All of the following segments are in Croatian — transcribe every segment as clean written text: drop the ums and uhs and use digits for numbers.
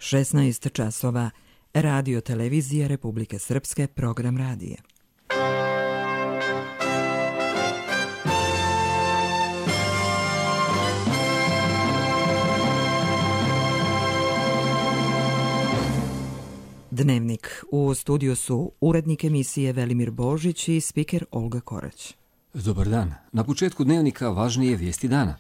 16 časova. Radio televizija Republike Srpske, program radija. Dnevnik. U studiju su urednik emisije Velimir Božić i spiker Olga Korać. Dobar dan. Na početku dnevnika važnije vijesti dana.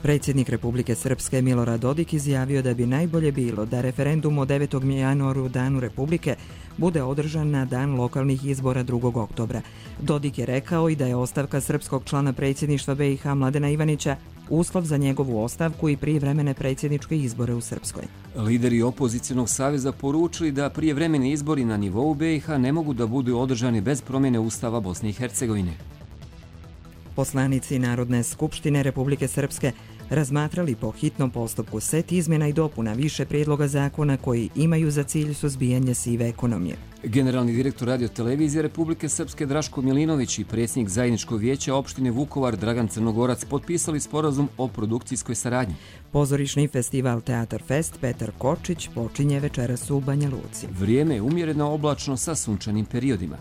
Predsjednik Republike Srpske Milorad Dodik izjavio da bi najbolje bilo da referendum o 9. januaru, danu Republike, bude održan na dan lokalnih izbora 2. oktobra. Dodik je rekao i da je ostavka srpskog člana predsjedništva BiH Mladena Ivanića uslov za njegovu ostavku i prijevremene predsjedničke izbore u Srpskoj. Lideri opozicionog saveza poručili da prijevremeni izbori na nivou BiH ne mogu da budu održani bez promjene Ustava Bosne i Hercegovine. Poslanici Narodne skupštine Republike Srpske razmatrali po hitnom postupku set izmjena i dopuna više prijedloga zakona koji imaju za cilj suzbijanje sive ekonomije. Generalni direktor Radio televizije Republike Srpske Draško Milinović i predsjednik zajedničkog vijeća opštine Vukovar Dragan Crnogorac potpisali sporazum o produkcijskoj saradnji. Pozorišni festival Teatar Fest Petar Kočić počinje večeras u Banja Luci. Vrijeme je umjereno oblačno sa sunčanim periodima.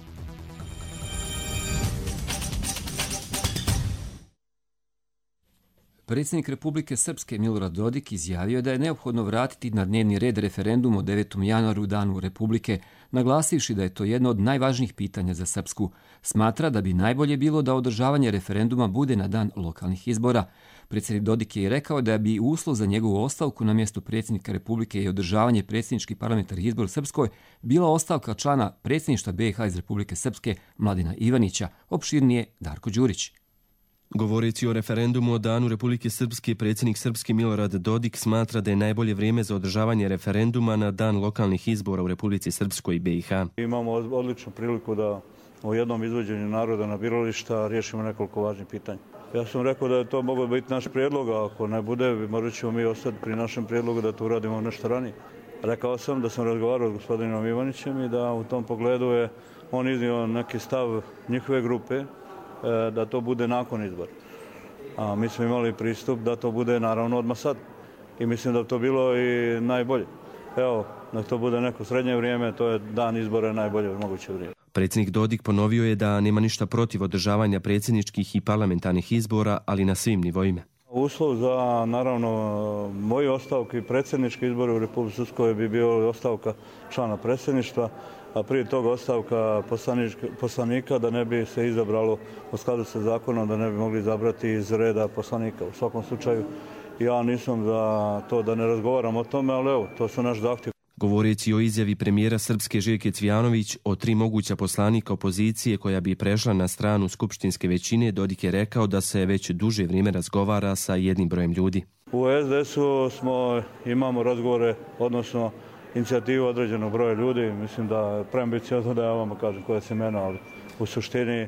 Predsjednik Republike Srpske Milorad Dodik izjavio je da je neophodno vratiti na dnevni red referendum o 9. januaru, danu Republike, naglasivši da je to jedno od najvažnijih pitanja za Srpsku. Smatra da bi najbolje bilo da održavanje referenduma bude na dan lokalnih izbora. Predsjednik Dodik je i rekao da bi uslov za njegovu ostavku na mjestu predsjednika Republike i održavanje predsjedničkih parlamentarnih izbora u Srpskoj bila ostavka člana predsjedništva BiH iz Republike Srpske Mladena Ivanića, opširnije Darko Đurić. Govoreći o referendumu o danu Republike Srpske, predsjednik Srpske Milorad Dodik smatra da je najbolje vrijeme za održavanje referenduma na dan lokalnih izbora u Republici Srpskoj i BiH. Imamo odličnu priliku da u jednom izvođenju naroda na birališta riješimo nekoliko važnih pitanja. Ja sam rekao da je to moglo biti naš prijedlog, a ako ne bude, morat ćemo mi ostati pri našem prijedlogu da to uradimo nešto ranije. Rekao sam da sam razgovarao s gospodinom Ivanićem i da u tom pogledu je on iznio neki stav njihove grupe da to bude nakon izbora. A mi smo imali pristup da to bude naravno odmah sad. I mislim da bi to bilo i najbolje. Evo, da to bude neko srednje vrijeme, to je dan izbora najbolje moguće vrijeme. Predsjednik Dodik ponovio je da nema ništa protiv održavanja predsjedničkih i parlamentarnih izbora, ali na svim nivoima. Uslov za, naravno, moji ostavke i predsjedničke izbore u Republici Srpskoj bi bio ostavka člana predsjedništva, a prije toga ostavka poslanika da ne bi se izabralo u skladu sa zakonom, da ne bi mogli izabrati iz reda poslanika. U svakom slučaju, ja nisam za to da ne razgovaram o tome, ali evo, to su naš zahtjev. Govoreći o izjavi premijera Srpske Željke Cvijanović o 3 moguća poslanika opozicije koja bi prešla na stranu skupštinske većine, Dodik je rekao da se već duže vrijeme razgovara sa jednim brojem ljudi. U SDS-u imamo razgovore, odnosno inicijativu određenog broja ljudi. Mislim da je preambiciozno da ja vama kažem koja se imena, ali u suštini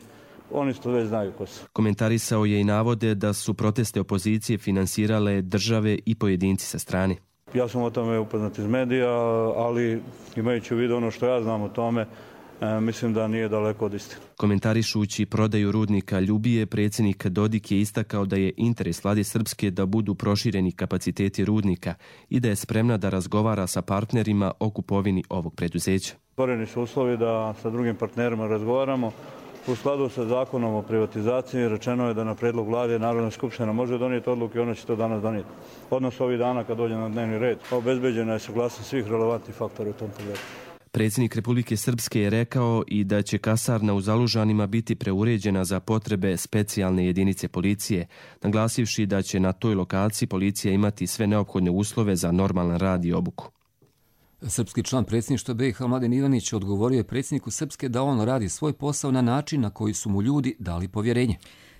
oni to već znaju ko su. Komentarisao je i navode da su proteste opozicije finansirale države i pojedinci sa strane. Ja sam o tome upoznat iz medija, ali imajući u vidu ono što ja znam o tome, mislim da nije daleko od istine. Komentarišući prodaju rudnika Ljubije, predsjednik Dodik je istakao da je interes Vlade Srpske da budu prošireni kapaciteti rudnika i da je spremna da razgovara sa partnerima o kupovini ovog preduzeća. Stvoreni su uslovi da sa drugim partnerima razgovaramo. U skladu sa zakonom o privatizaciji rečeno je da na predlog Vlade Narodna skupština može donijeti odluke i ona će to danas donijeti. Odnosno ovih dana kad dođe na dnevni red. Obezbeđena je saglasnost svih relevantnih faktora u tom pogledu. Predsjednik Republike Srpske je rekao i da će kasarna u Zalužanima biti preuređena za potrebe specijalne jedinice policije, naglasivši da će na toj lokaciji policija imati sve neophodne uslove za normalan rad i obuku. Srpski član predsjedništva BiH Mladen Ivanić odgovorio je predsjedniku Srpske da on radi svoj posao na način na koji su mu ljudi dali povjerenje.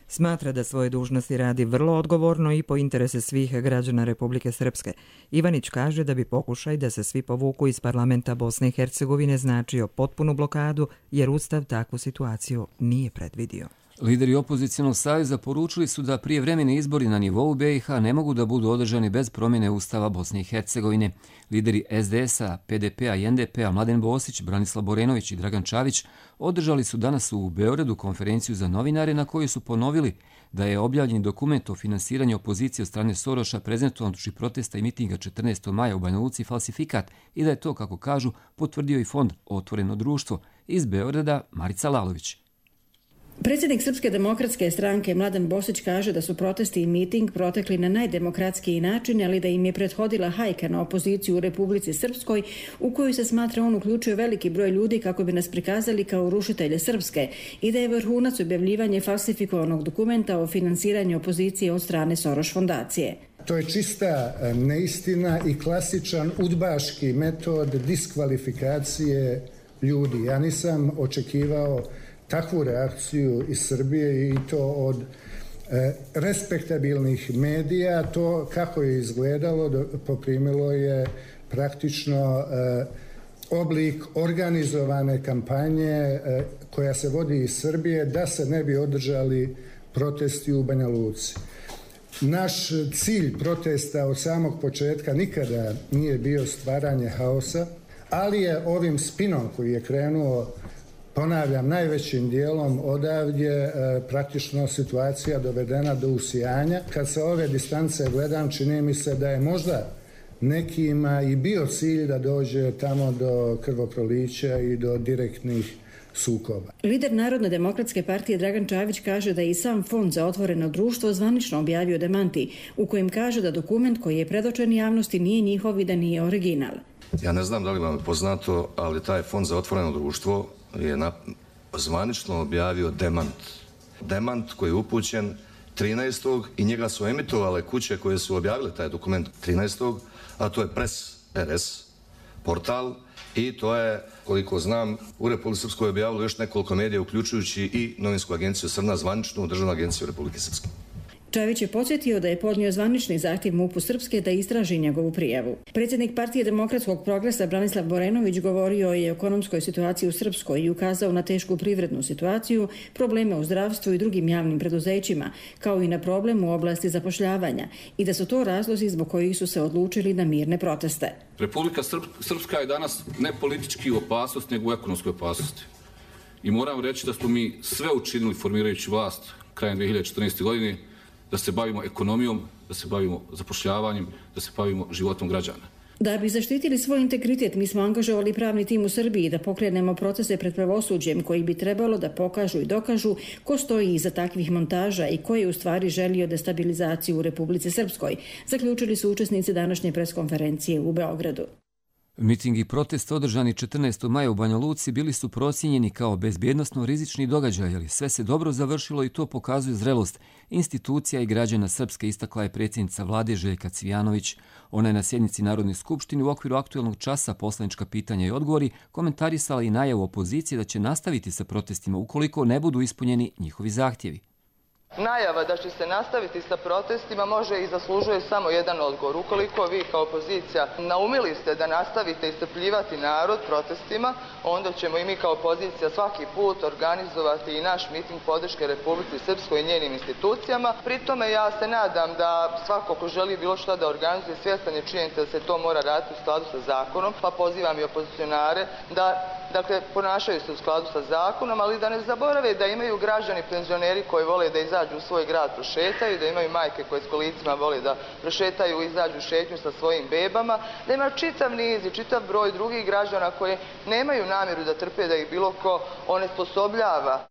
Smatra da svoje dužnosti radi vrlo odgovorno i po interese svih građana Republike Srpske. Ivanić kaže da bi pokušaj da se svi povuku iz parlamenta Bosne i Hercegovine značio potpunu blokadu, jer Ustav takvu situaciju nije predvidio. Lideri opozicionog saveza poručili su da prijevremeni izbori na nivou BiH ne mogu da budu održani bez promjene Ustava Bosne i Hercegovine. Lideri SDS-a, PDP-a i NDP-a Mladen Bosić, Branislav Borenović i Dragan Čavić održali su danas u Beogradu konferenciju za novinare na kojoj su ponovili da je objavljen dokument o finansiranju opozicije od strane Soroša prezentovan uoči protesta i mitinga 14. maja u Banja Luci falsifikat i da je to, kako kažu, potvrdio i fond Otvoreno društvo. Iz Beograda Marica Lalović. Predsjednik Srpske demokratske stranke Mladen Bosić kaže da su protesti i miting protekli na najdemokratskiji način, ali da im je prethodila hajka na opoziciju u Republici Srpskoj, u koju se smatra on uključio veliki broj ljudi kako bi nas prikazali kao rušitelje Srpske i da je vrhunac objavljivanje falsifikovanog dokumenta o finansiranju opozicije od strane Soroš fondacije. To je čista neistina i klasičan udbaški metod diskvalifikacije ljudi. Ja nisam očekivao takvu reakciju iz Srbije i to od respektabilnih medija. To kako je izgledalo poprimilo je praktično oblik organizovane kampanje koja se vodi iz Srbije da se ne bi održali protesti u Banja Luci. Naš cilj protesta od samog početka nikada nije bio stvaranje haosa, ali je ovim spinom koji je krenuo, ponavljam, najvećim dijelom odavdje praktično situacija dovedena do usijanja. Kad sa ove distance gledam, čini mi se da je možda nekima i bio cilj da dođe tamo do krvoprolića i do direktnih sukoba. Lider Narodne demokratske partije Dragan Čavić kaže da je i sam Fond za otvoreno društvo zvanično objavio demanti u kojem kaže da dokument koji je predočen javnosti nije njihov i da nije original. Ja ne znam da li vam je poznato, ali taj Fond za otvoreno društvo je zvanično objavio demant. Demant koji je upućen 13. i njega su emitovale kuće koje su objavile taj dokument 13. a to je Press RS portal i to je, koliko znam, u Republike Srpskoj objavilo još nekoliko medija, uključujući i novinsku agenciju Srna, zvaničnu državnu agenciju Republike Srpske. Čavić je podsjetio da je podnio zvanični zahtjev MUP-u Srpske da istraži njegovu prijavu. Predsjednik Partije demokratskog progresa Branislav Borenović govorio je o ekonomskoj situaciji u Srpskoj i ukazao na tešku privrednu situaciju, probleme u zdravstvu i drugim javnim preduzećima, kao i na problem u oblasti zapošljavanja i da su to razlozi zbog kojih su se odlučili na mirne proteste. Republika Srpska je danas ne politički u opasnosti, nego u ekonomskoj opasnosti. I moram reći da smo mi sve učinili formirajući vlast krajem 2014. godine da se bavimo ekonomijom, da se bavimo zapošljavanjem, da se bavimo životom građana. Da bi zaštitili svoj integritet, mi smo angažovali pravni tim u Srbiji da pokrenemo procese pred pravosuđem koji bi trebalo da pokažu i dokažu ko stoji iza takvih montaža i ko je u stvari želio destabilizaciju u Republici Srpskoj, zaključili su učesnici današnje preskonferencije u Beogradu. Miting i protest održani 14. maja u Banja Luci bili su procijenjeni kao bezbjednosno rizični događaj, ali sve se dobro završilo i to pokazuje zrelost institucija i građana Srpske, istakla je predsjednica vlade Željka Cvijanović. Ona je na sjednici Narodne skupštine u okviru aktuelnog časa poslanička pitanja i odgovori komentarisala i najavu opozicije da će nastaviti sa protestima ukoliko ne budu ispunjeni njihovi zahtjevi. Najava da će se nastaviti sa protestima može i zaslužuje samo jedan odgovor. Ukoliko vi kao opozicija naumili ste da nastavite iscrpljivati narod protestima, onda ćemo i mi kao opozicija svaki put organizovati i naš miting podrške Republici Srpskoj i njenim institucijama. Pri tome ja se nadam da svako ko želi bilo šta da organizuje svjestan je činjenica da se to mora raditi u skladu sa zakonom, pa pozivam i opozicionare da ponašaju se u skladu sa zakonom, ali da ne zaborave da imaju građani penzioneri koji vole da izađu u svoj grad prošetaju, da imaju majke koje s kolicima vole da prošetaju i izađu šetnju sa svojim bebama, da ima čitav niz i čitav broj drugih građana koje nemaju namjeru da trpe da ih bilo ko onesposobljava.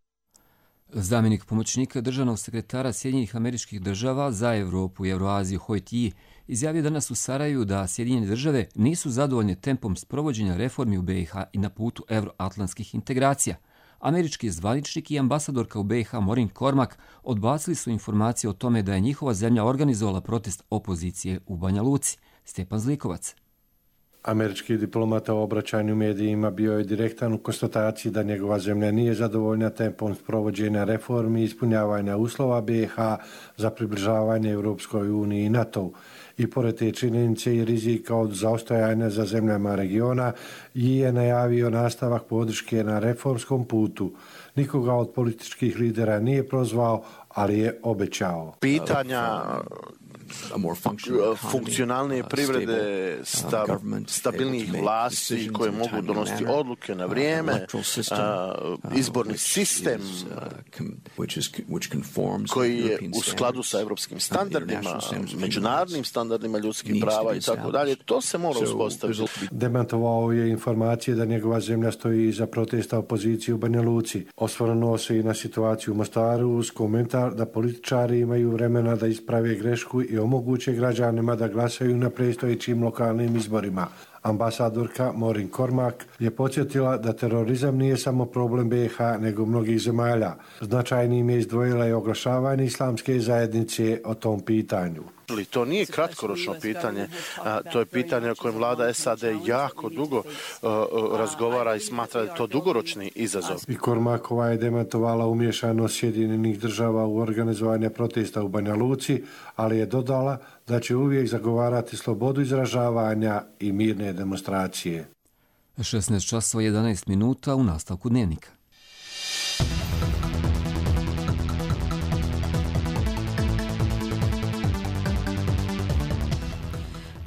Zamjenik pomoćnika državnog sekretara Sjedinjenih Američkih Država za Evropu i Euroaziju Hoyt Yi izjavio danas u Sarajevu da Sjedinjene Države nisu zadovoljne tempom sprovođenja reformi u BiH i na putu euroatlantskih integracija. Američki zvaničnik i ambasadorka u BiH Maureen Cormack odbacili su informacije o tome da je njihova zemlja organizovala protest opozicije u Banja Luci. Stepan Zlikovac. Američki diplomata u obraćanju medijima bio je direktan u konstataciji da njegova zemlja nije zadovoljna tempom sprovođenja reformi i ispunjavanja uslova BiH za približavanje Europskoj uniji i NATO-u. I pored te činjenice i rizika od zaostajanja za zemljama regiona je najavio nastavak podrške na reformskom putu. Nikoga od političkih lidera nije prozvao, ali je obećao. Pitanja funkcionalne privrede, stabilnih vlasti koje mogu donositi odluke na vrijeme, izborni sistem koji je u skladu sa evropskim standardima, međunarodnim standardima ljudskih prava i tako dalje, to se mora uspostaviti. Demantovao je informacije da njegova zemlja stoji iza protesta opozicije u Banja Luci. Osvrnuo se i na situaciju u Mostaru uz komentar da političari imaju vremena da isprave grešku i omoguće građanima da glasaju na predstojećim lokalnim izborima. Ambasadorka Morin Kormak je podsjetila da terorizam nije samo problem BiH nego mnogih zemalja. Značajnim je izdvojila i oglašavanje islamske zajednice o tom pitanju. To nije kratkoročno pitanje, to je pitanje o kojem vlada SAD jako dugo razgovara i smatra da je to dugoročni izazov. I Kormakova je demantovala umješanost Sjedinjenih država u organizovanje protesta u Banja Luci, ali je dodala da će uvijek zagovarati slobodu izražavanja i mirne demonstracije. 16 časova 11 minuta u nastavku dnevnika.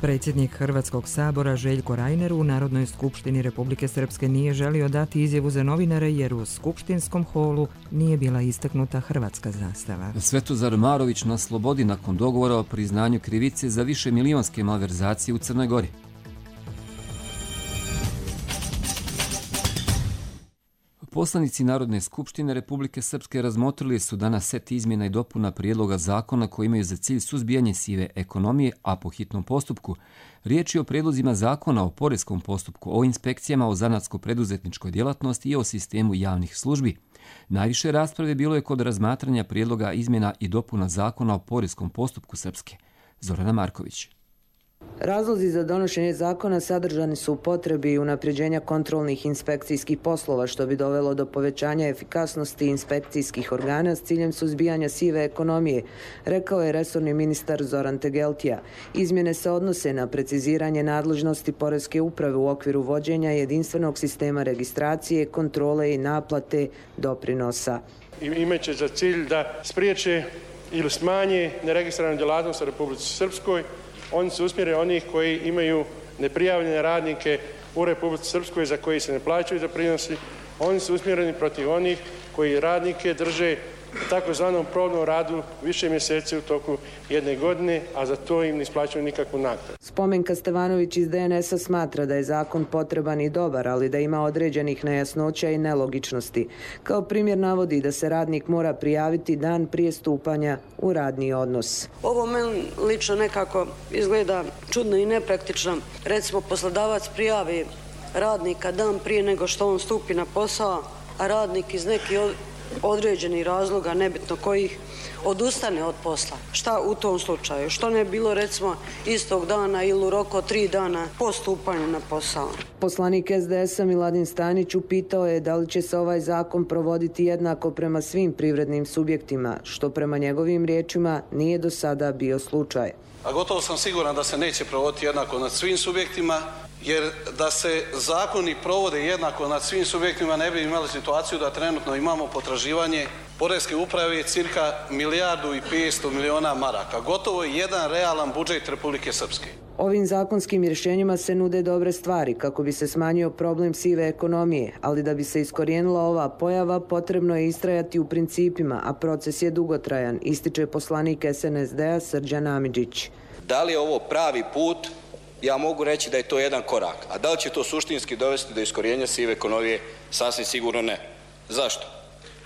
Predsjednik Hrvatskog sabora Željko Reiner u Narodnoj skupštini Republike Srpske nije želio dati izjavu za novinare jer u skupštinskom holu nije bila istaknuta hrvatska zastava. Svetozar Marović na slobodi nakon dogovora o priznanju krivice za višemilijonske malverzacije u Crnoj Gori. Poslanici Narodne skupštine Republike Srpske razmotrili su danas set izmjena i dopuna prijedloga zakona koji imaju za cilj suzbijanje sive ekonomije, a po hitnom postupku. Riječ je o prijedlozima zakona o poreskom postupku, o inspekcijama, o zanatsko-preduzetničkoj djelatnosti i o sistemu javnih službi. Najviše rasprave bilo je kod razmatranja prijedloga izmjena i dopuna zakona o poreskom postupku Srpske. Zorana Marković. Razlozi za donošenje zakona sadržani su u potrebi unapređenja kontrolnih inspekcijskih poslova, što bi dovelo do povećanja efikasnosti inspekcijskih organa s ciljem suzbijanja sive ekonomije, rekao je resorni ministar Zoran Tegeltija. Izmjene se odnose na preciziranje nadležnosti Poreske uprave u okviru vođenja jedinstvenog sistema registracije, kontrole i naplate doprinosa. Imaće za cilj da spriječe ili smanje neregistriranu djelatnost u Republici Srpskoj. Oni su usmjeri onih koji imaju neprijavljene radnike u Republici Srpskoj za koji se ne plaćaju doprinosi. Oni su usmjereni protiv onih koji radnike drže takozvanom probnom radu više mjeseci u toku jedne godine, a za to im ne isplaćuju nikakvu naknadu. Spomenka Stevanović iz DNS-a smatra da je zakon potreban i dobar, ali da ima određenih nejasnoća i nelogičnosti. Kao primjer navodi da se radnik mora prijaviti dan prije stupanja u radni odnos. Ovo meni lično nekako izgleda čudno i nepraktično. Recimo, poslodavac prijavi radnika dan prije nego što on stupi na posao, a radnik iz nekih određenih razloga, nebitno kojih, odustane od posla. Šta u tom slučaju? Što ne bilo recimo istog dana ili u roku 3 dana po stupanju na posao? Poslanik SDS-a Miladin Stanić upitao je da li će se ovaj zakon provoditi jednako prema svim privrednim subjektima, što prema njegovim riječima nije do sada bio slučaj. A gotovo sam siguran da se neće provoditi jednako nad svim subjektima, jer da se zakoni provode jednako nad svim subjektima ne bi imali situaciju da trenutno imamo potraživanje Poreske uprave cirka 1,5 milijardi maraka. Gotovo je jedan realan budžet Republike Srpske. Ovim zakonskim rješenjima se nude dobre stvari kako bi se smanjio problem sive ekonomije, ali da bi se iskorijenila ova pojava potrebno je istrajati u principima, a proces je dugotrajan, ističe poslanik SNSD-a Srđan Amidžić. Da li je ovo pravi put? Ja mogu reći da je to jedan korak. A da li će to suštinski dovesti do iskorijenja sive ekonomije? Sasvim sigurno ne. Zašto?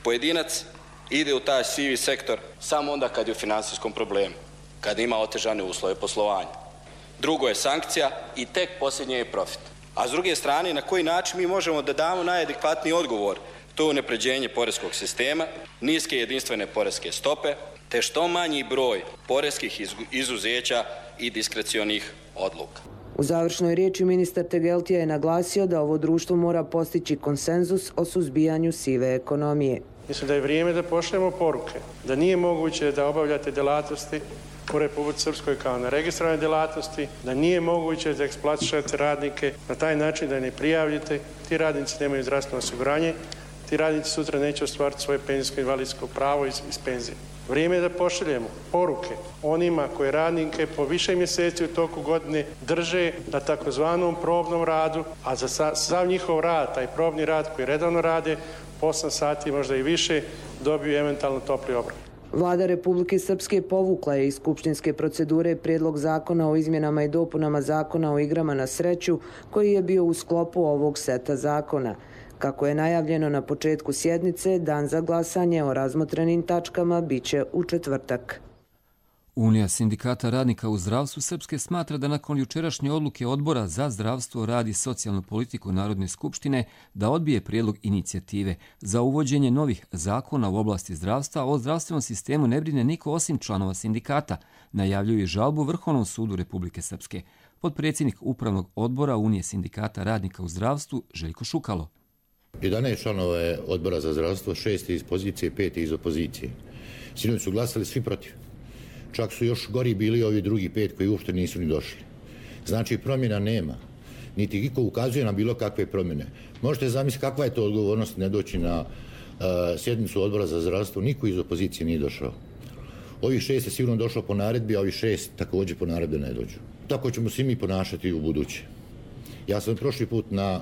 Pojedinac ide u taj sivi sektor samo onda kad je u financijskom problemu, kad ima otežane uslove poslovanja. Drugo je sankcija i tek posljednje je profit. A s druge strane, na koji način mi možemo da damo najadekvatniji odgovor? To je unapređenje poreskog sistema, niske jedinstvene poreske stope, te što manji broj poreskih izuzeća i diskrecionih odluka. U završnoj riječi ministar Tegeltija je naglasio da ovo društvo mora postići konsenzus o suzbijanju sive ekonomije. Mislim da je vrijeme da pošaljemo poruke, da nije moguće da obavljate djelatnosti u Republici Srpskoj kao na registrovane djelatnosti, da nije moguće da eksploatišete radnike na taj način da ne prijavljate. Ti radnici nemaju zdravstveno osiguranje, ti radnici sutra neće ostvariti svoje penzijsko invalidsko pravo iz penzije. Vrijeme je da pošaljemo poruke onima koji radnike po više mjeseci u toku godine drže na takozvanom probnom radu, a za sav njihov rad, taj probni rad koji redovno rade, 8 sati, možda i više, dobiju eventualno topli obrok. Vlada Republike Srpske povukla je iz skupštinske procedure prijedlog zakona o izmjenama i dopunama zakona o igrama na sreću koji je bio u sklopu ovog seta zakona. Kako je najavljeno na početku sjednice, dan za glasanje o razmotrenim tačkama biće u četvrtak. Unija sindikata radnika u zdravstvu Srpske smatra da nakon jučerašnje odluke Odbora za zdravstvo, rad i socijalnu politiku Narodne skupštine da odbije prijedlog inicijative za uvođenje novih zakona u oblasti zdravstva, o zdravstvenom sistemu ne brine niko osim članova sindikata, najavljuju žalbu Vrhovnom sudu Republike Srpske. Potpredsjednik Upravnog odbora Unije sindikata radnika u zdravstvu Željko Šukalo. 11 članova je Odbora za zdravstvo, 6 iz pozicije, 5 iz opozicije. Sinoć su glasali svi protiv. Čak su još gori bili ovi drugi 5 koji uopšte nisu ni došli. Znači promjena nema. Niti iko ukazuje na bilo kakve promjene. Možete zamisliti kakva je to odgovornost ne doći na sjednicu Odbora za zdravstvo. Niko iz opozicije nije došao. Ovih 6 je sigurno došlo po naredbi, a ovih 6 također po naredbi ne dođu. Tako ćemo svi mi ponašati u buduće. Ja sam prošli put na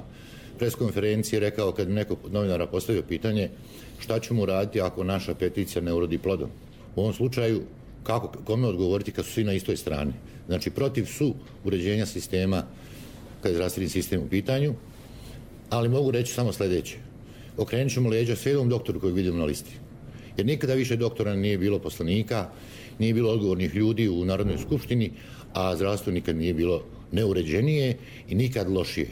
preskonferenciji rekao, kad mi neko od novinara postavio pitanje šta ćemo raditi ako naša peticija ne urodi plodom. U ovom slučaju, kome odgovoriti kad su svi na istoj strani? Znači, protiv su uređenja sistema, kad je zdravstveni sistem u pitanju, ali mogu reći samo sljedeće. Okrenut ćemo leđa svijedom doktoru kojeg vidimo na listi. Jer nikada više doktora nije bilo poslanika, nije bilo odgovornih ljudi u Narodnoj skupštini, a zdravstvo nikad nije bilo neuređenije i nikad lošije.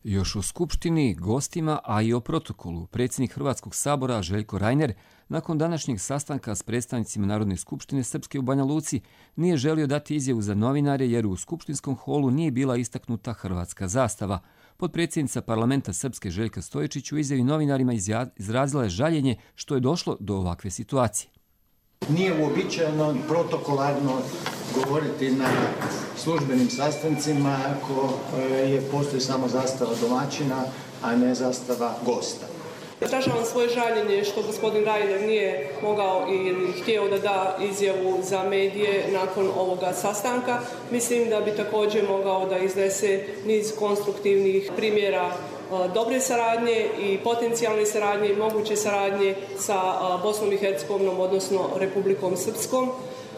Još u Skupštini, gostima, a i o protokolu, predsjednik Hrvatskog sabora Željko Reiner, nakon današnjeg sastanka s predstavnicima Narodne skupštine Srpske u Banja Luci, nije želio dati izjavu za novinare jer u skupštinskom holu nije bila istaknuta hrvatska zastava. Potpredsjednica parlamenta Srpske Željka Stojičić u izjavi novinarima izrazila je žaljenje što je došlo do ovakve situacije. Nije uobičajeno i protokolarno govoriti na službenim sastancima ako postoji samo zastava domaćina, a ne zastava gosta. Izražavam svoje žaljenje što gospodin Reiner nije mogao ili htio da da izjavu za medije nakon ovoga sastanka. Mislim da bi također mogao da iznese niz konstruktivnih primjera dobre saradnje i potencijalne saradnje i moguće saradnje sa Bosnom i Hercegovinom, odnosno Republikom Srpskom.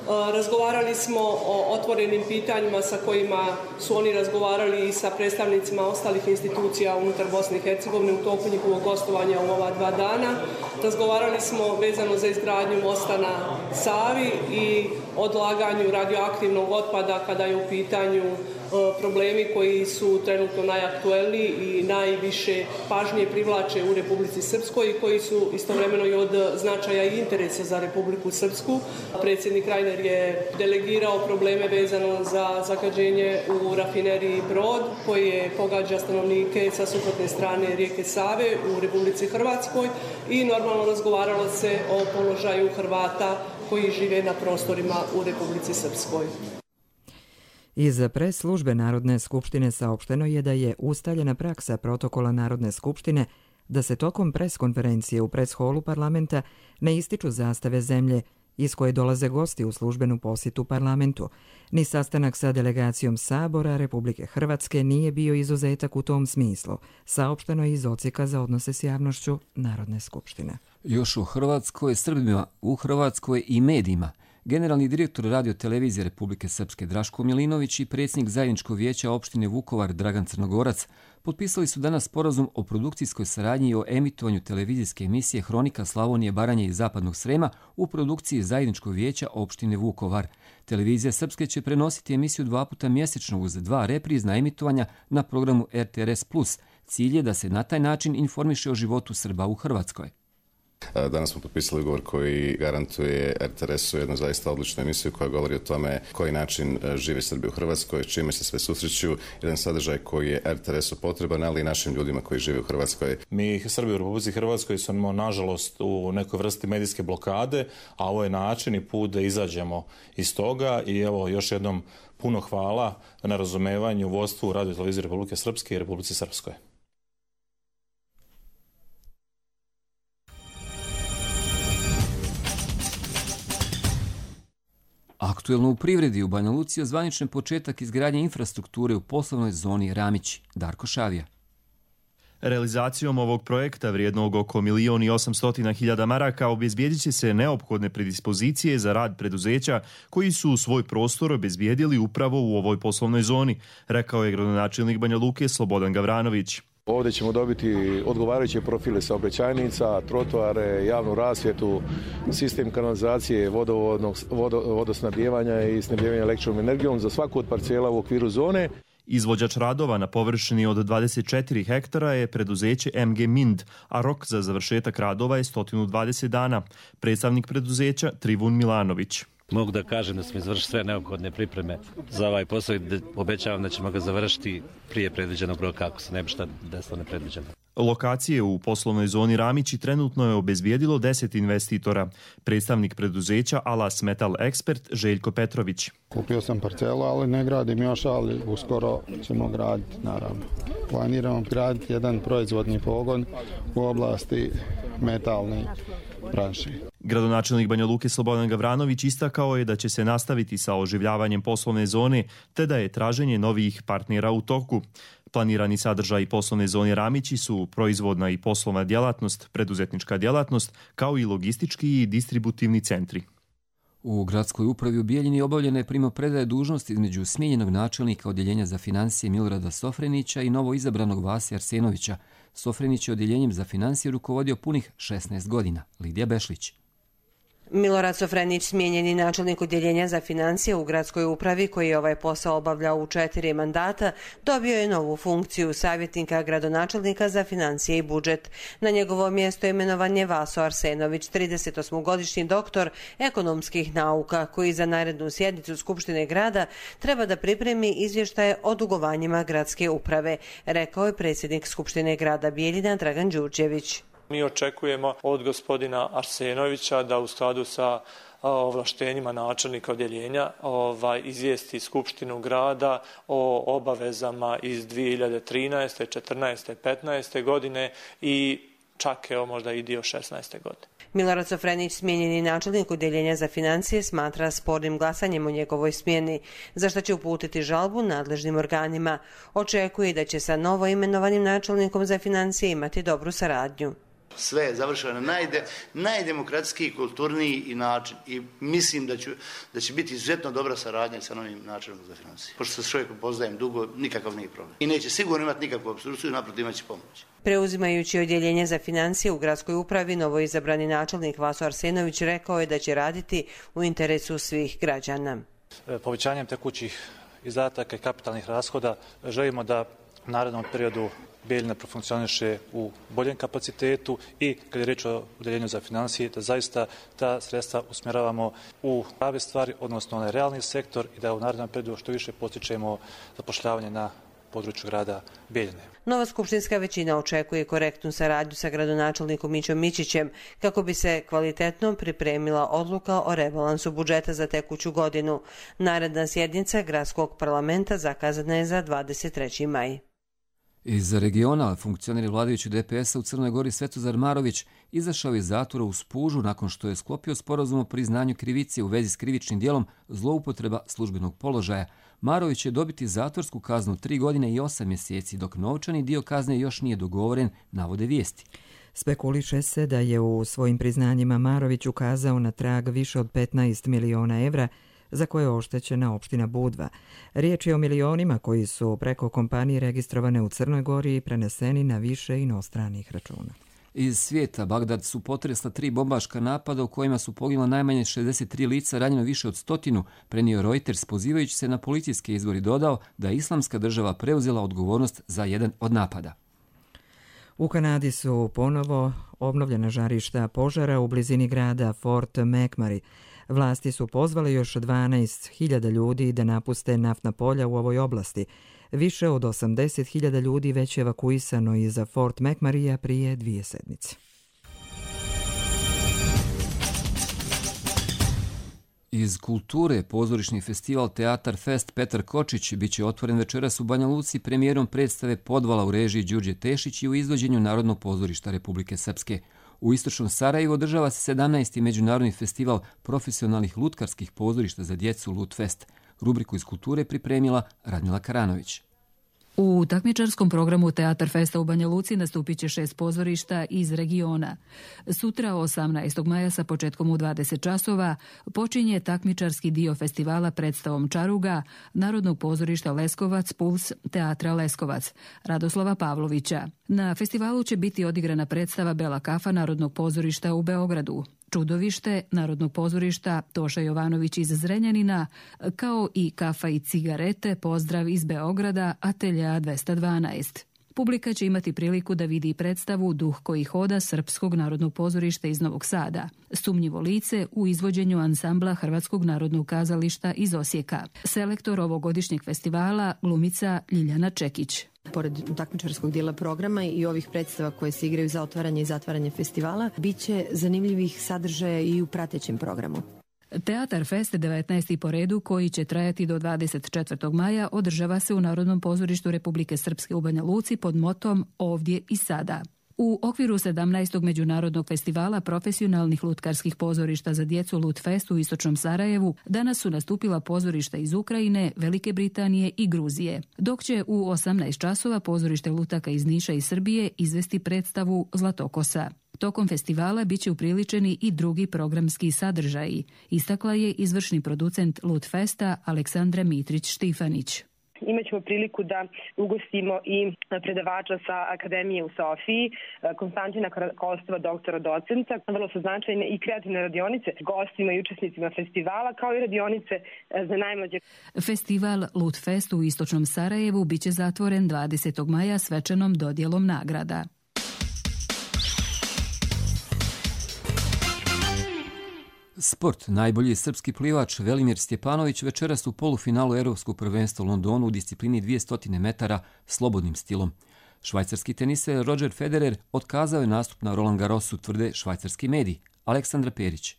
Razgovarali smo o otvorenim pitanjima sa kojima su oni razgovarali i sa predstavnicima ostalih institucija unutar Bosne i Hercegovine u toku njihovog gostovanja u ova 2 dana. Razgovarali smo vezano za izgradnju mosta na Savi i odlaganju radioaktivnog otpada kada je u pitanju problemi koji su trenutno najaktuelniji i najviše pažnje privlače u Republici Srpskoj i koji su istovremeno i od značaja i interesa za Republiku Srpsku. Predsjednik Reiner je delegirao probleme vezano za zagađenje u rafineriji Brod koje pogađa stanovnike sa suprotne strane rijeke Save u Republici Hrvatskoj i normalno razgovaralo se o položaju Hrvata koji žive na prostorima u Republici Srpskoj. Iz pres službe Narodne skupštine saopšteno je da je ustaljena praksa protokola Narodne skupštine da se tokom pres konferencije u pres holu parlamenta ne ističu zastave zemlje iz koje dolaze gosti u službenu posjetu parlamentu. Ni sastanak sa delegacijom Sabora Republike Hrvatske nije bio izuzetak u tom smislu, saopšteno je iz Odsjeka za odnose s javnošću Narodne skupštine. Još u Hrvatskoj, Srbima u Hrvatskoj i medijima. Generalni direktor Radio-televizije Republike Srpske Draško Milinović i predsjednik zajedničkog vijeća opštine Vukovar Dragan Crnogorac potpisali su danas sporazum o produkcijskoj saradnji i o emitovanju televizijske emisije Hronika Slavonije, Baranje i Zapadnog Srema u produkciji zajedničkog vijeća opštine Vukovar. Televizija Srpske će prenositi emisiju 2 puta mjesečno uz 2 reprizna emitovanja na programu RTRS+. Cilj je da se na taj način informiše o životu Srba u Hrvatskoj. Danas smo potpisali ugovor koji garantuje RTS-u jednu zaista odličnu emisiju koja govori o tome koji način živi Srbi u Hrvatskoj, čime se sve susreću, jedan sadržaj koji je RTS-u potreban, ali i našim ljudima koji žive u Hrvatskoj. Mi Srbi u Republici Hrvatskoj smo nažalost u nekoj vrsti medijske blokade, a ovo je način i put da izađemo iz toga i evo još jednom puno hvala na razumevanju vodstvu Radio televizije Republike Srpske i Republici Srpskoj. Aktuelno u privredi u Banja Luci zvaničan početak izgradnje infrastrukture u poslovnoj zoni Ramići. Darko Šavija. Realizacijom ovog projekta vrijednog oko 1.800.000 maraka obezbijedit će se neophodne predispozicije za rad preduzeća koji su svoj prostor obezbijedili upravo u ovoj poslovnoj zoni, rekao je gradonačelnik Banja Luke Slobodan Gavranović. Ovdje ćemo dobiti odgovarajuće profile saobraćajnica, trotoare, javnu rasvjetu, sistem kanalizacije, vodosnabdijevanja i snabdijevanja električnom energijom za svaku od parcela u okviru zone. Izvođač radova na površini od 24 hektara je preduzeće MG Mind, a rok za završetak radova je 120 dana. Predstavnik preduzeća Trivun Milanović. Mogu da kažem da smo izvršili sve neophodne pripreme za ovaj posao i obećavam da ćemo ga završiti prije predviđenog roka ako se ne bi šta desilo nepredviđeno. Lokacije u poslovnoj zoni Ramići trenutno je obezbijedilo 10 investitora. Predstavnik preduzeća Alas Metal Expert Željko Petrović. Kupio sam parcelu, ali ne gradim još, ali uskoro ćemo graditi, naravno. Planiramo graditi jedan proizvodni pogon u oblasti metalne branše. Gradonačelnik Banja Luke Slobodan Gavranović istakao je da će se nastaviti sa oživljavanjem poslovne zone, te da je traženje novih partnera u toku. Planirani sadržaj poslovne zone Ramići su proizvodna i poslovna djelatnost, preduzetnička djelatnost, kao i logistički i distributivni centri. U gradskoj upravi u Bijeljini obavljena je primopredaja dužnosti između smijenjenog načelnika odjeljenja za financije Milorada Sofrenića i novo izabranog Vasija Arsenovića. Sofrenić je odjeljenjem za financije rukovodio punih 16 godina. Lidija Bešlić. Milorad Sofrenić, smijenjeni načelnik odjeljenja za financije u gradskoj upravi koji je ovaj posao obavljao u 4 mandata, dobio je novu funkciju savjetnika gradonačelnika za financije i budžet. Na njegovo mjesto imenovan je Vaso Arsenović, 38-godišnji doktor ekonomskih nauka, koji za narednu sjednicu Skupštine grada treba da pripremi izvještaje o dugovanjima gradske uprave, rekao je predsjednik Skupštine grada Bijeljina Dragan Đurđević. Mi očekujemo od gospodina Arsenovića da u skladu sa ovlaštenjima načelnika odjeljenja izvijesti Skupštinu grada o obavezama iz 2013. 14. 15. godine i čak možda i dio 16. godine. Milorad Sofrenić, smijenjeni načelnik odjeljenja za financije, smatra spornim glasanjem o njegovoj smjeni, za što će uputiti žalbu nadležnim organima. Očekuje da će sa novo imenovanim načelnikom za financije imati dobru saradnju. Sve je završeno na najdemokratskiji, kulturniji i način i mislim da će biti izuzetno dobra saradnja sa novim načelnikom za financije. Pošto se čovjekom poznajem dugo, nikakav nije problem. I neće sigurno imati nikakvu opstrukciju, naprotiv imat će pomoć. Preuzimajući odjeljenje za financije u gradskoj upravi, novoizabrani načelnik Vaso Arsenović rekao je da će raditi u interesu svih građana. Povećanjem tekućih izdataka i kapitalnih rashoda želimo da u narednom periodu Bijeljina profunkcioniše u boljem kapacitetu i kad je riječ o odjeljenju za financije, da zaista ta sredstva usmjeravamo u prave stvari, odnosno onaj realni sektor i da u narednom periodu što više postičemo zapošljavanje na području grada Bijeljine. Nova skupštinska većina očekuje korektnu saradnju sa gradonačelnikom Mićom Mićićem kako bi se kvalitetno pripremila odluka o rebalansu budžeta za tekuću godinu. Naredna sjednica gradskog parlamenta zakazana je za 23. maj. Iz regiona funkcioneri vladajućeg DPS-a u Crnoj Gori Svetozar Marović izašao iz zatvora u Spužu nakon što je sklopio sporazum o priznanju krivice u vezi s krivičnim djelom zloupotreba službenog položaja. Marović će dobiti zatvorsku kaznu 3 godine i 8 mjeseci, dok novčani dio kazne još nije dogovoren, navode vijesti. Spekuliše se da je u svojim priznanjima Marović ukazao na trag više od 15 miliona evra za koje je oštećena opština Budva. Riječ je o milionima koji su preko kompanije registrovane u Crnoj Gori i preneseni na više inostranih računa. Iz svijeta Bagdad su potresla 3 bombaška napada u kojima su poginula najmanje 63 lica, ranjeno više od 100, prenio Reuters, pozivajući se na policijske izvori, dodao da je Islamska država preuzela odgovornost za jedan od napada. U Kanadi su ponovo obnovljena žarišta požara u blizini grada Fort McMurray. Vlasti su pozvale još 12.000 ljudi da napuste naftna polja u ovoj oblasti. Više od 80.000 ljudi već je evakuisano iz Fort McMurraya prije 2 sedmice. Iz kulture pozorišni festival Teatar Fest Petar Kočić biće otvoren večeras u Banja Luci premijerom predstave Podvala u režiji Đurđe Tešić i u izvođenju Narodnog pozorišta Republike Srpske. U istočnom Sarajevu održava se 17. međunarodni festival profesionalnih lutkarskih pozorišta za djecu Lutfest. Rubriku iz kulture pripremila Radmila Karanović. U takmičarskom programu Teatar Festa u Banja Luci nastupit će 6 pozorišta iz regiona. Sutra, 18. maja sa početkom u 20 časova, počinje takmičarski dio festivala predstavom Čaruga Narodnog pozorišta Leskovac Puls Teatra Leskovac Radoslava Pavlovića. Na festivalu će biti odigrana predstava Bela kafa Narodnog pozorišta u Beogradu, Čudovište Narodnog pozorišta Toša Jovanović iz Zrenjanina, kao i Kafa i cigarete Pozdrav iz Beograda Atelja 212. Publika će imati priliku da vidi predstavu Duh koji hoda Srpskog narodnog pozorišta iz Novog Sada, Sumnjivo lice u izvođenju ansambla Hrvatskog narodnog kazališta iz Osijeka. Selektor ovogodišnjeg festivala glumica Ljiljana Čekić. Pored takmičarskog dijela programa i ovih predstava koje se igraju za otvaranje i zatvaranje festivala, bit će zanimljivih sadržaja i u pratećem programu. Teatar Fest 19. po redu, koji će trajati do 24. maja, održava se u Narodnom pozorištu Republike Srpske u Banja Luci pod motom Ovdje i sada. U okviru 17. međunarodnog festivala profesionalnih lutkarskih pozorišta za djecu Lutfest u istočnom Sarajevu danas su nastupila pozorišta iz Ukrajine, Velike Britanije i Gruzije, dok će u 18 časova pozorište lutaka iz Niša i Srbije izvesti predstavu Zlatokosa. Tokom festivala bit će upriličeni i drugi programski sadržaji, istakla je izvršni producent Lutfesta Aleksandra Mitrić-Štifanić. Imaćemo priliku da ugostimo i predavača sa Akademije u Sofiji, Konstantina Kostova, doktora docenta. Vrlo su značajne i kreativne radionice gostima i učesnicima festivala, kao i radionice za najmlađe. Festival Lutfest u istočnom Sarajevu biće zatvoren 20. maja svečanom dodjelom nagrada. Sport. Najbolji srpski plivač Velimir Stjepanović večeras u polufinalu Europskog prvenstva u Londonu u disciplini 200 metara slobodnim stilom. Švajcarski teniser Roger Federer otkazao je nastup na Roland Garrosu, tvrde švajcarski mediji. Aleksandra Perić.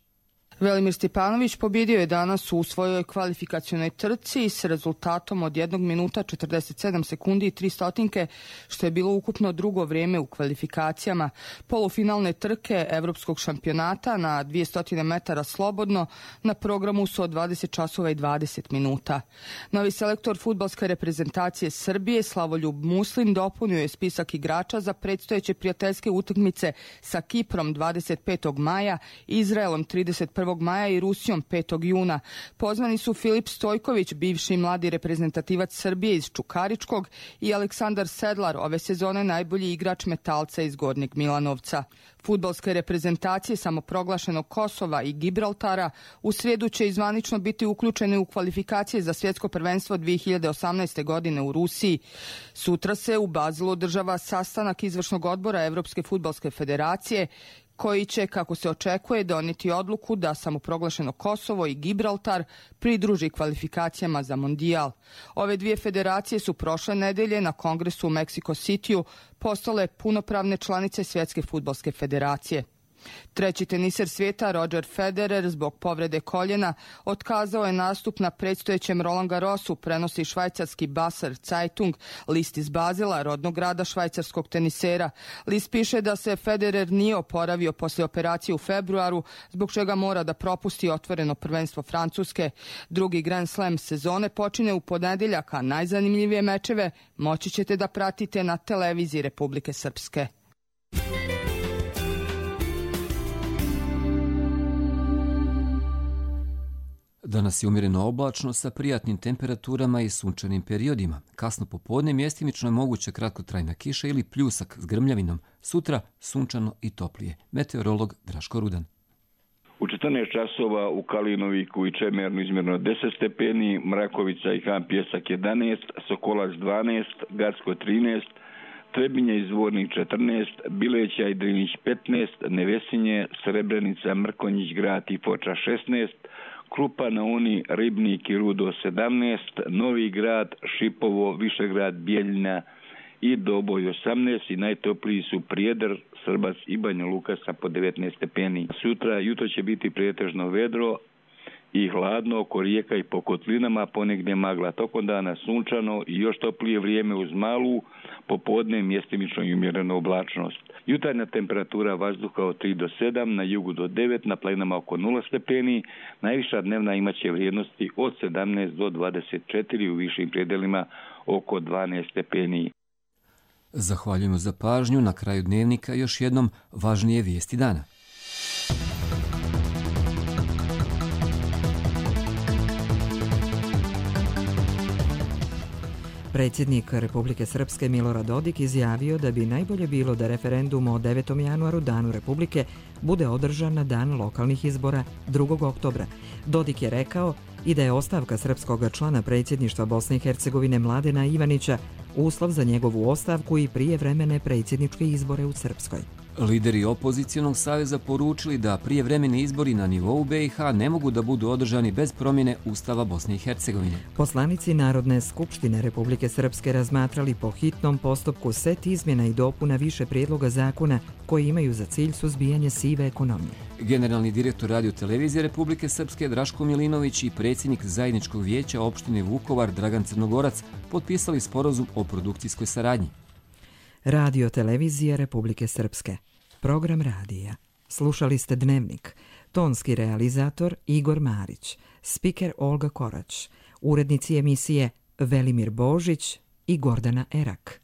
Velimir Stjepanović pobjedio je danas u svojoj kvalifikacionoj trci s rezultatom od 1 minuta 47 sekundi i 3 stotinke, što je bilo ukupno drugo vrijeme u kvalifikacijama polufinalne trke Evropskog šampionata na 200 metara slobodno. Na programu su od 20 časova i 20 minuta. Novi selektor fudbalske reprezentacije Srbije Slavoljub Muslin dopunio je spisak igrača za predstojeće prijateljske utakmice sa Kiprom 25. maja, Izraelom 31. maja i Rusijom 5. juna. Pozvani su Filip Stojković, bivši mladi reprezentativac Srbije iz Čukaričkog, i Aleksandar Sedlar, ove sezone najbolji igrač Metalca iz Gornjeg Milanovca. Fudbalske reprezentacije samoproglašenog Kosova i Gibraltara u srijedu će izvanično biti uključene u kvalifikacije za svjetsko prvenstvo 2018. godine u Rusiji. Sutra se u Bazilu održava sastanak izvršnog odbora Evropske fudbalske federacije, koji će, kako se očekuje, donijeti odluku da samoproglašeno Kosovo i Gibraltar pridruži kvalifikacijama za Mondijal. Ove dvije federacije su prošle nedelje na kongresu u Meksiko Cityu postale punopravne članice Svjetske fudbalske federacije. Treći teniser svijeta Roger Federer zbog povrede koljena otkazao je nastup na predstojećem Roland Garrosu, prenosi švajcarski Basel Zeitung, list iz Bazela, rodnog grada švajcarskog tenisera. List piše da se Federer nije oporavio poslije operacije u februaru, zbog čega mora da propusti otvoreno prvenstvo Francuske. Drugi Grand Slam sezone počinje u ponedjeljak, a najzanimljivije mečeve moći ćete da pratite na televiziji Republike Srpske. Danas je umjereno oblačno sa prijatnim temperaturama i sunčanim periodima. Kasno popodne mjestimično je moguća kratkotrajna kiša ili pljusak s grmljavinom. Sutra sunčano i toplije. Meteorolog Draško Rudan. U 14 časova u Kalinoviku i Čemernu izmjerno 10 stepeni, Mrakovica i Han Pjesak 11, Sokolac 12, Gacko 13, Trebinje i Zvornik 14, Bileća i Drinić 15, Nevesinje, Srebrenica, Mrkonjić grad i Foča 16, Krupa na Uni, Ribnik i Rudo 17, Novi grad, Šipovo, Višegrad, Bijeljina i Doboj 18 i najtopliji su Prijedor, Srbac i Banja Luka sa po 19 stepeni. Sutra jutro će biti pretežno vedro i hladno oko rijeka i po kotlinama, ponegdje magla, tokom dana sunčano i još toplije vrijeme uz malu, popodne mjestimično i umjerenu oblačnost. Jutarnja temperatura vazduha od 3 do 7, na jugu do 9, na planinama oko 0 stepeni, najviša dnevna imaće vrijednosti od 17 do 24, u višim predelima oko 12 stepeni. Zahvaljujemo za pažnju. Na kraju dnevnika još jednom važnije vijesti dana. Predsjednik Republike Srpske Milorad Dodik izjavio da bi najbolje bilo da referendum o 9. januaru, Danu Republike, bude održan na dan lokalnih izbora 2. oktobra. Dodik je rekao i da je ostavka srpskog člana predsjedništva Bosne i Hercegovine Mladena Ivanića uslov za njegovu ostavku i prijevremene predsjedničke izbore u Srpskoj. Lideri opozicionog saveza poručili da prijevremeni izbori na nivou BiH ne mogu da budu održani bez promjene Ustava Bosne i Hercegovine. Poslanici Narodne skupštine Republike Srpske razmatrali po hitnom postupku set izmjena i dopuna više prijedloga zakona koji imaju za cilj suzbijanje sive ekonomije. Generalni direktor Radio-televizije Republike Srpske Draško Milinović i predsjednik zajedničkog vijeća opštine Vukovar Dragan Crnogorac potpisali sporazum o produkcijskoj saradnji. Radio-televizija Republike Srpske. Program radija. Slušali ste Dnevnik. Tonski realizator Igor Marić. Spiker Olga Korać. Urednici emisije Velimir Božić i Gordana Erak.